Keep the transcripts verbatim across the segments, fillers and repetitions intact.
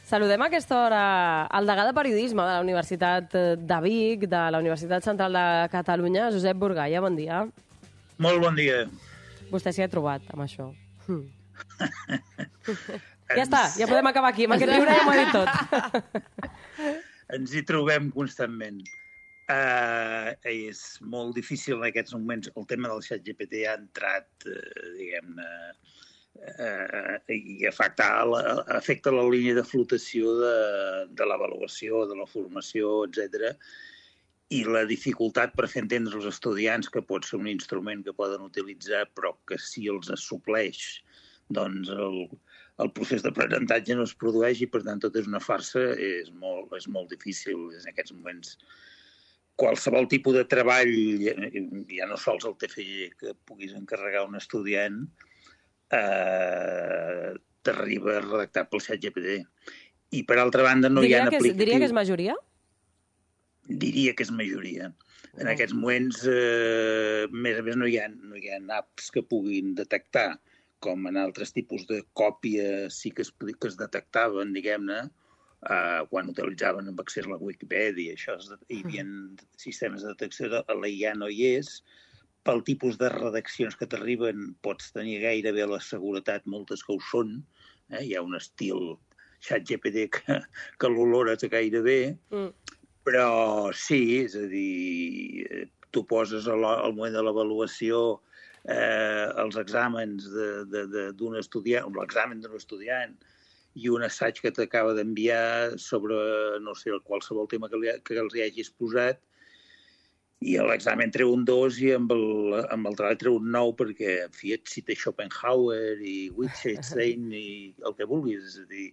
Saludem a aquesta hora el degà de Periodisme de la Universitat de Vic, de la Universitat Central de Catalunya, Josep Burgaia. Bon dia. Molt bon dia. Vostè s'hi ha trobat, amb això. Hm. Ja està, ja podem acabar aquí. Amb aquest riure ja m'ho ha dit tot. Ens hi trobem constantment. Uh, és molt difícil en aquests moments. El tema del xat G P T ha entrat, uh, diguem-ne, uh, i afecta la, afecta la línia de flotació de, de l'avaluació, de la formació, etcètera. I la dificultat per fer entendre als estudiants que pot ser un instrument que poden utilitzar, però que si els supleix, doncs el, el procés d'aprenentatge no es produeix i, per tant, tot és una farsa, és molt, és molt difícil en aquests moments. Qualsevol tipus de treball, ja no sols el T F G que puguis encarregar un estudiant, eh, t'arriba redactat pel xat G P T. I, per altra banda, no diria hi ha aplicatius... Diria que és majoria? Diria que és majoria. En aquests moments, eh, més a més, no hi ha, no hi ha apps que puguin detectar, com en altres tipus de còpia sí que es, que es detectaven, diguem-ne, Uh, quan utilitzaven amb accés a la Wikipedia, això es, hi havia sistemes de detecció, la I A no hi és. Pel tipus de redaccions que t'arriben pots tenir gairebé la seguretat, moltes que ho són. Eh? Hi ha un estil xat G P T que, que l'olores gairebé, mm. però sí, és a dir, tu poses al moment de l'avaluació eh, els exàmens d'un estudiant, l'examen d'un estudiant, i un assaig que t'acaba d'enviar sobre, no sé, qualsevol tema que, li, que els hi hagis posat, i a l'examen treu un dos i amb el, amb el treball treu un nou perquè, en fi, et cita Schopenhauer i Wittgenstein i el que vulguis. És a dir,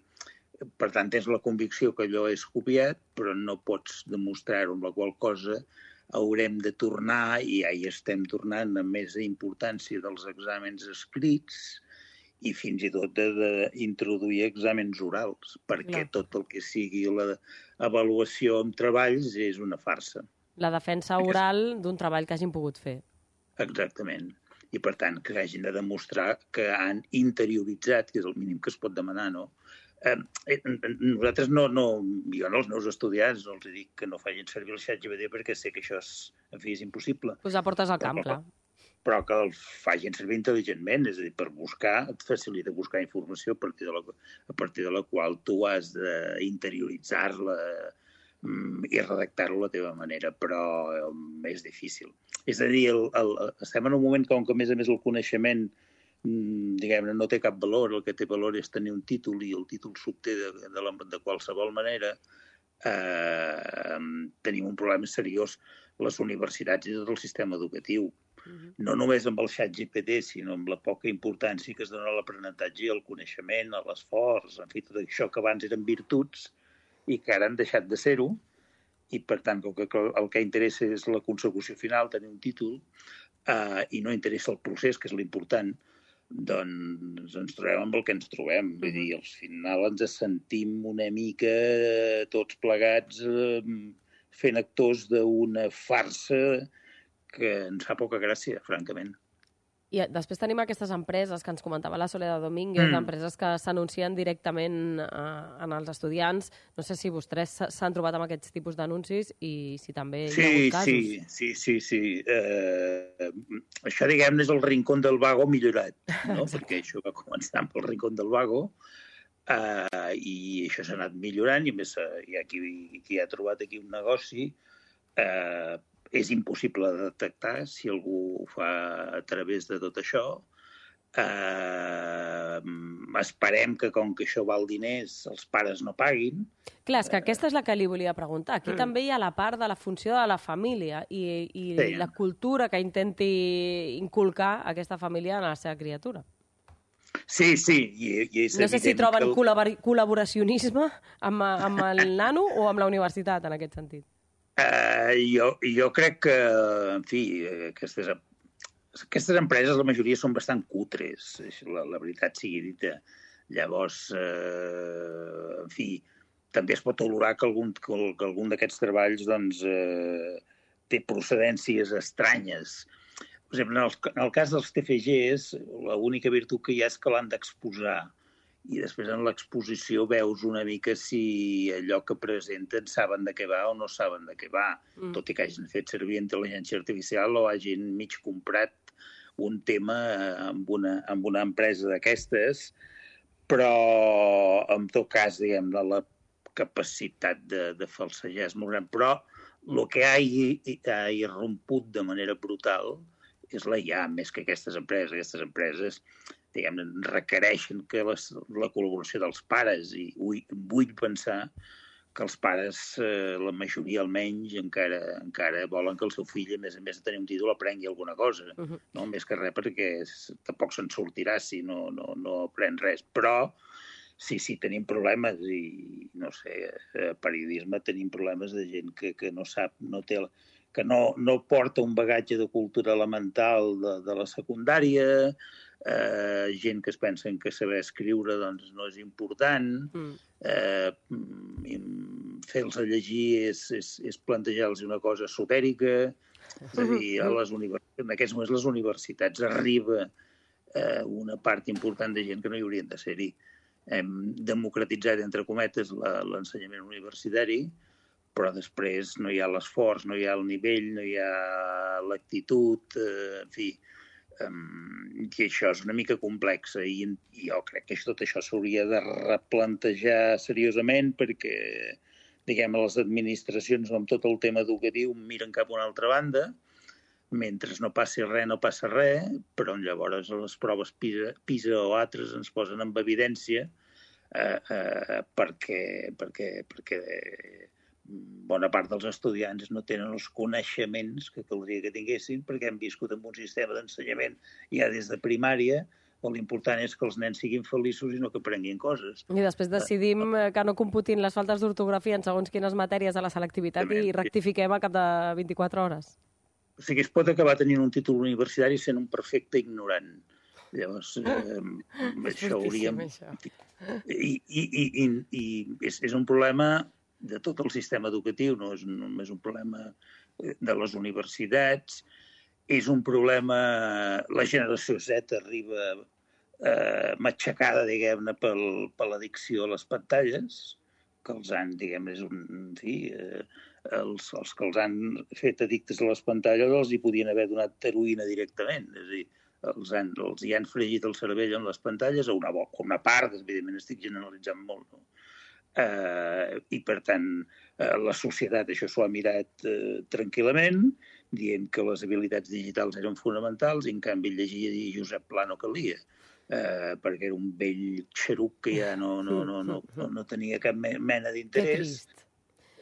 per tant, tens la convicció que allò és copiat, però no pots demostrar-ho, amb la qual cosa haurem de tornar, i ja hi estem tornant amb més importància dels exàmens escrits, i fins i tot d'introduir exàmens orals, perquè no. Tot el que sigui l'avaluació amb treballs és una farsa. La defensa oral d'un treball que hagin pogut fer. Exactament. I, per tant, que hagin de demostrar que han interioritzat, que és el mínim que es pot demanar, no? Eh, nosaltres no, no, jo no als meus estudiants no els dic que no facin servir el xat G P T perquè sé que això és, en fi, és impossible. Posar portes al camp, però, clar. però que els facin servir intel·ligentment, és a dir, per buscar, et facilita buscar informació a partir de la, a partir de la qual tu has d'interioritzar-la i redactar-la a la teva manera, però és difícil. És a dir, el, el, estem en un moment que, que a més a més el coneixement diguem-ne, no té cap valor, el que té valor és tenir un títol i el títol s'obté de, de, la, de qualsevol manera, eh, tenim un problema seriós les universitats i tot el sistema educatiu. No només amb el xat G P T, sinó amb la poca importància que es dona a l'aprenentatge, al coneixement, a l'esforç, en fi, tot això que abans eren virtuts i que ara han deixat de ser-ho, i per tant el que, el que interessa és la consecució final, tenir un títol, eh, i no interessa el procés, que és l'important, doncs ens trobem amb el que ens trobem. Vull dir, al final ens sentim una mica tots plegats eh, fent actors d'una farsa que ens fa poca gràcia, francament. I després tenim aquestes empreses que ens comentava la Soledad Domínguez, mm. empreses que s'anuncien directament eh, en els estudiants. No sé si vostès s'han trobat amb aquests tipus d'anuncis i si també sí, hi ha hagut casos. Sí, sí, sí. sí. Eh, això, diguem-ne, és el rincón del vago millorat, no? Perquè això va començar amb el rincón del vago eh, i això s'ha anat millorant i a més hi ha qui, qui ha trobat aquí un negoci eh, és impossible de detectar si algú ho fa a través de tot això. Eh, esperem que, com que això val diners, els pares no paguin. Clar, és que aquesta és la que li volia preguntar. Aquí mm. també hi ha la part de la funció de la família i, i sí. la cultura que intenti inculcar aquesta família en la seva criatura. Sí, sí. I, i és no sé si troben el... col·labor col·laboracionisme amb, amb el nano o amb la universitat, en aquest sentit. Uh, jo, jo crec que, en fi, aquestes, aquestes empreses, la majoria són bastant cutres, la, la veritat sigui dita. Llavors, uh, en fi, també es pot olorar que algun, que, que algun d'aquests treballs doncs, uh, té procedències estranyes. Per exemple, en el, en el cas dels T F Gs, l'única virtut que hi ha és que l'han d'exposar. i després en l'exposició veus una mica si allò que presenten saben de què va o no saben de què va, mm. tot i que hagin fet servir intel·ligència artificial o hagin mig comprat un tema amb una, amb una empresa d'aquestes, però en tot cas, diguem, de la capacitat de, de falsejar és molt gran. Però el que ha, ha irromput de manera brutal és la I A, més que aquestes empreses. Aquestes empreses, diguem, requereixen que les, la col·laboració dels pares, i vull, vull pensar que els pares, eh, la majoria almenys, encara, encara volen que el seu fill, a més a més de tenir un títol, aprengui alguna cosa. Uh-huh. No? Més que res perquè tampoc se'n sortirà si no, no, no aprèn res. Però sí, sí, tenim problemes i, no sé, a periodisme tenim problemes de gent que, que no sap, no té... que no, no porta un bagatge de cultura elemental de, de la secundària, eh, gent que es pensen que saber escriure doncs, no és important, mm. eh, fer-los a llegir és, és, és plantejar-los una cosa esotèrica, és a dir, a les universitats, en aquests moments les universitats arriba eh, una part important de gent que no hi haurien de ser-hi. Hem democratitzat, entre cometes, l'ensenyament universitari, però després no hi ha l'esforç, no hi ha el nivell, no hi ha l'actitud, eh, en fi, um, i això és una mica complex i, i jo crec que tot això s'hauria de replantejar seriosament perquè, diguem, les administracions amb tot el tema educatiu miren cap a una altra banda, mentre no passi res, no passa res, però llavors les proves PISA, PISA o altres ens posen en evidència eh, eh, perquè, perquè, perquè bona part dels estudiants no tenen els coneixements que caldria que tinguessin perquè hem viscut en un sistema d'ensenyament ja des de primària on l'important és que els nens siguin feliços i no que aprenguin coses. I després decidim que no computin les faltes d'ortografia en segons quines matèries a la selectivitat També. I rectifiquem a cap de vint-i-quatre hores. O sigui, es pot acabar tenint un títol universitari sent un perfecte ignorant. Llavors, eh, això hauríem... Això. I, i, i, i, i és, és un problema de tot el sistema educatiu, no és només un problema de les universitats, és un problema... La generació Z arriba eh, matxacada, diguem-ne, pel, per l'addicció a les pantalles, que els han, diguem, és un... En fi, eh, els, els que els han fet addictes a les pantalles els hi podien haver donat heroïna directament, és a dir, els, han, els hi han fregit el cervell en les pantalles, a una, a una part, evidentment estic generalitzant molt, no? Uh, i per tant uh, la societat això s'ho ha mirat uh, tranquil·lament dient que les habilitats digitals eren fonamentals i en canvi llegir i Josep Pla no calia uh, perquè era un vell xeruc que ja no, no, no, no, no, no tenia cap mena d'interès.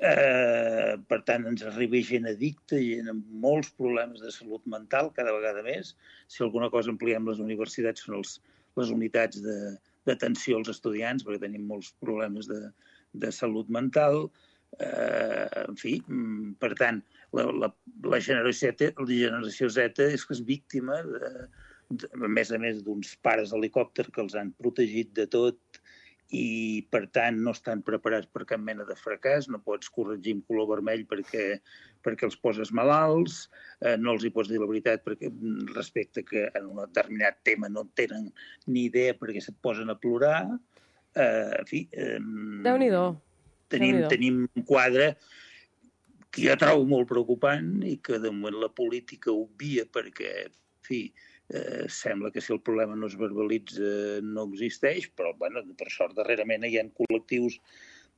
Uh, per tant ens arriba gent addicta, gent amb molts problemes de salut mental cada vegada més. Si alguna cosa ampliem les universitats són els, les unitats de d'atenció als estudiants, perquè tenim molts problemes de, de salut mental. Eh, en fi, per tant, la, la, la, generació Z, la generació Z és que és víctima, de, de, a més a més, d'uns pares helicòpter que els han protegit de tot i, per tant, no estan preparats per cap mena de fracàs, no pots corregir amb color vermell perquè, perquè els poses malalts, eh, no els hi pots dir la veritat perquè respecte que en un determinat tema no tenen ni idea perquè se't posen a plorar. Eh, en fi... Eh, Déu-n'hi-do. Tenim, Déu-n'hi-do. tenim un quadre que jo trobo molt preocupant i que de moment la política obvia perquè, en fi, Eh, sembla que si el problema no es verbalitza no existeix, però bueno, per sort darrerament hi ha col·lectius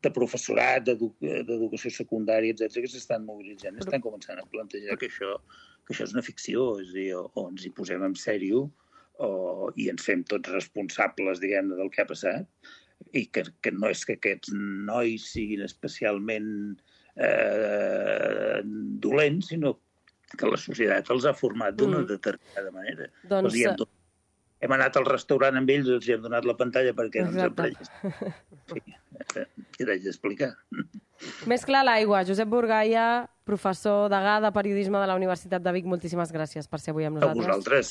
de professorat, d'edu d'educació secundària, etcètera, que s'estan mobilitzant, però... estan començant a plantejar que això, que això és una ficció, és a dir, o, o ens hi posem en sèrio o, i ens fem tots responsables, diguem-ne, del que ha passat, i que, que no és que aquests nois siguin especialment eh, dolents, sinó que la societat els ha format d'una mm. determinada manera. Doncs... Els hem, hem anat al restaurant amb ells, els hem donat la pantalla perquè no ens emprenyes. Sí, què t'haig d'explicar? Més clar l'aigua. Josep Burgaia, professor degà de periodisme de la Universitat de Vic, moltíssimes gràcies per ser avui amb nosaltres. A vosaltres.